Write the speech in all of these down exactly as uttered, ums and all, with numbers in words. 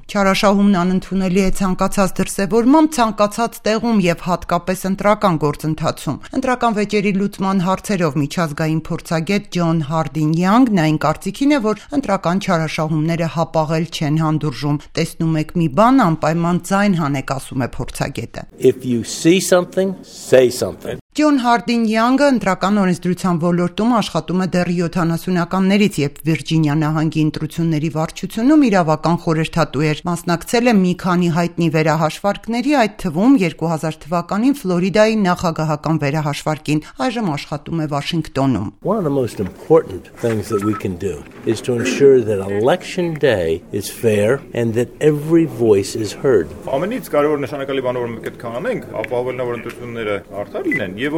Չարաշահումն անընդունելի է ցանկացած դրսևորմամբ, ցանկացած տեղում եւ հատկապես ընտրական գործընթացում։ Ընտրական վեճերի լուծման հարցերով միջազգային փորձագետ Ջոն Հարդին Յանգն այն կարծիքին է, որ ընտրական չարաշահումները հապաղել չեն հանդուրժում։ Տեսնում եք մի բան, անպայման ձայն հանեք, ասում է փորձագետը։ If you see something, say something. Ջոն Հարդին Յանգը ընտրական օրենսդրության ոլորտում աշխատում է դեռ յոթանասունականներից, երբ Վիրջինիա նահանգի ընտրությունների վարչությունում իրավական խորհրդատու էր։ Մասնակցել է մի քանի հայտնի վերահաշվարկների, այդ թվում երկու հազար թվականին Ֆլորիդայի նախագահական վերահաշվարկին, այժմ աշխատում է Վաշինգտոնում։ One of the most important things that we can do is to ensure that election day is fair and that every voice is heard. Ամենից կարևոր նշանակալի բանը, որ մենք պետք է անենք, ապահովելն է, որ ընտրությունները արդար լինեն։ It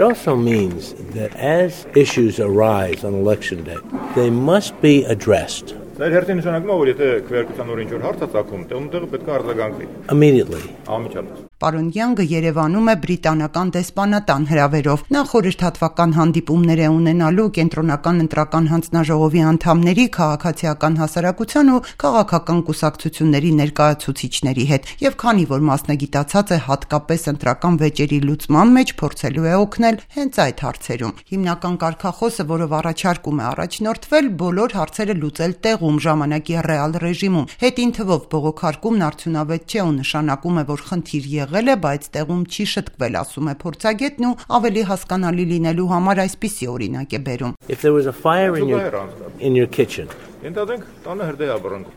also means that as issues arise on election day, they must be addressed immediately. Պարոն Յանգը Երևանում է բրիտանական դեսպանատան հրավերով։ Նա խորհրդատվական հանդիպումներ է ունենալու կենտրոնական ընտրական հանձնաժողովի անդամների, քաղաքացիական հասարակության ու քաղաքական կուսակցությունների ներկայացուցիչների հետ, եւ քանի որ մասնագիտացած է հատկապես ընտրական վեճերի լուծման մեջ, փորձելու է օգնել հենց այդ հարցերում։ Հիմնական կարգախոսը, որով առաջարկում է առաջնորդվել, բոլոր հարցերը լուծել տեղում ժամանակի ռեալ ռեժիմում։ Հետին թվով բողոքարկումն արդյունավետ չէ ու նշանակում է, որ խնդիր եղել է, բայց տեղում չի շտկվել, ասում է փորձագետն ու ավելի հասկանալի լինելու համար այսպիսի օրինակ է բերում։ If there was a fire in your in your kitchen,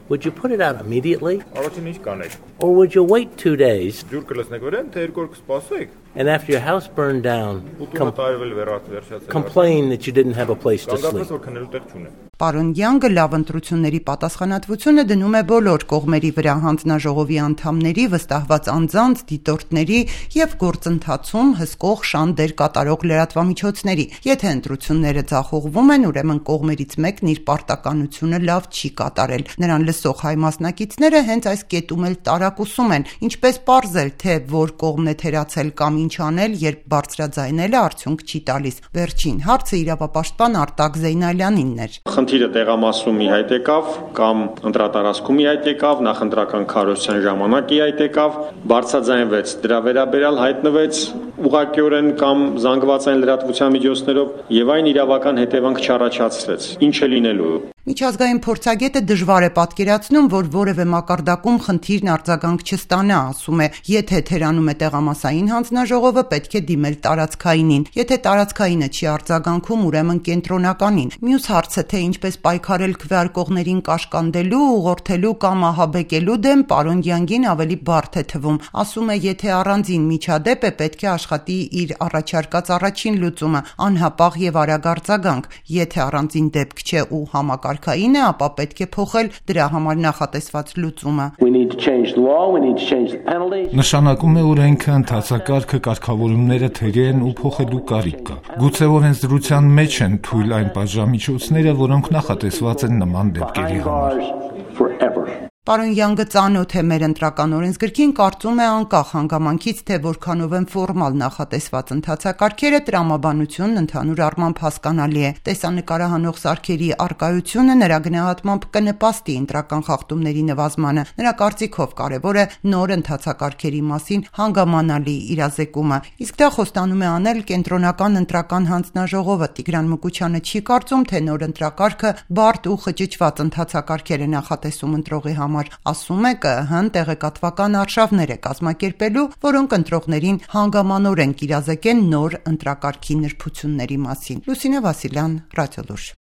would you put it out immediately? Or would you wait two days? And after your house burned down, com- complain that you didn't have a place to sleep. Պարոն Յանգը լավ ընտրությունների պատասխանատվությունը դնում է բոլոր կողմերի վրա, հանձնաժողովի անդամների, վստահված անձանց, դիտորդների եւ գործընթացում հսկող շան դեր կատարող լրատվամիջոցների։ Եթե ընտրությունները ձախողվում են, ուրեմն կողմերից մեկն իր պարտականությունը լավ չի կատարել։ Նրան լսող հայ մասնակիցները հենց այս կետում էլ տարակուսում են, ինչպես պարզել, թե որ կողմն է թերացել կամ ինչ անել, երբ բարձրաձայնելը արդյունք չի տալիս։ Վերջին հարցը իրավապաշտպան Արտակ Զեյնալյանինն էր։ Խնդիրը տեղամասում ի հայտ եկավ կամ ընտրատարածքում ի հայտ եկավ, նախընտրական քարոզության ժամանակ ի հայտ եկավ, բարձրաձայնվեց, դրա վերաբերյալ հայտնվեց ուղղակիորեն կամ զանգվածային լրատվության միջոցներով եւ այն իրավական հետևանք չառաջացրեց։ Ինչ է լինելու։ Միջազգային փորձագետը դժվար է պատկերացնում, որ որևէ մակարդակում խնդիրն արձագանք չստանա, ասում է, եթե թերանում է տեղամասային հանձնաժողովը, պետք է դիմել տարածքայինին, եթե տարածքայինը չի արձագանքում, ուրեմն կենտրոնականին։ Մյուս հարցը, թե ինչպես պայքարել քվեարկողներին կաշկանդելու, ուղղորդելու կամ ահաբեկելու դեմ, պարոն Յանգին ավելի բարդ է թվում։ Ասում է, եթե առանձին միջադեպ է, պետք է աշխատի իր առաջարկած առաջին լուծումը, անհապաղ եւ արագ արձագանք։ Եթե առանձին դեպք չէ ու համակարգային է, ապա պետք է փոխել դրա համար նախատեսված լուծումը։ Նշանակում է օրենքը, ընթացակարգը, կարգավորումները թերի են ու փոխելու կարիք կա։ Գուցե օրենսդրության մեջ են թույլ այն պատժամիջոցները, որոնք նախատեսված են նման դեպքերի համար։ Պարոն Յանգը ծանոթ է մեր ընտրական օրենսգրքին, կարծում է անկախ հանգամանքից, թե որքանով են ֆորմալ նախատեսված ընթացակարգերը, տրամաբանությունն ընդհանուր առմամբ հասկանալի է։ Տեսանկարահանող սարքերի առկայությունը նրա գնահատմամբ կնպաստի ընտրական խախտումների նվազմանը։ Նրա կարծիքով կարևոր է նոր ընթացակարգերի մասին հանգամանալի իրազեկումը։ Իսկ դա խոստանում է անել կենտրոնական ընտրական հանձնաժողովը։ Տիգրան Մկուչյանը չի կարծում, թե նոր ընտրակարգը բարդ ու խճճված ընթացակարգեր է նախատեսում ընտրողի համար։ Ասում է ԿԸՀ-ն տեղեկատվական արշավներ է կազմակերպելու, որոնք ընտրողներին հանգամանորեն կիրազեկեն նոր ընտրակարգի նրբությունների մասին։ Լուսինե Վասիլյան, Ռադիոլուր։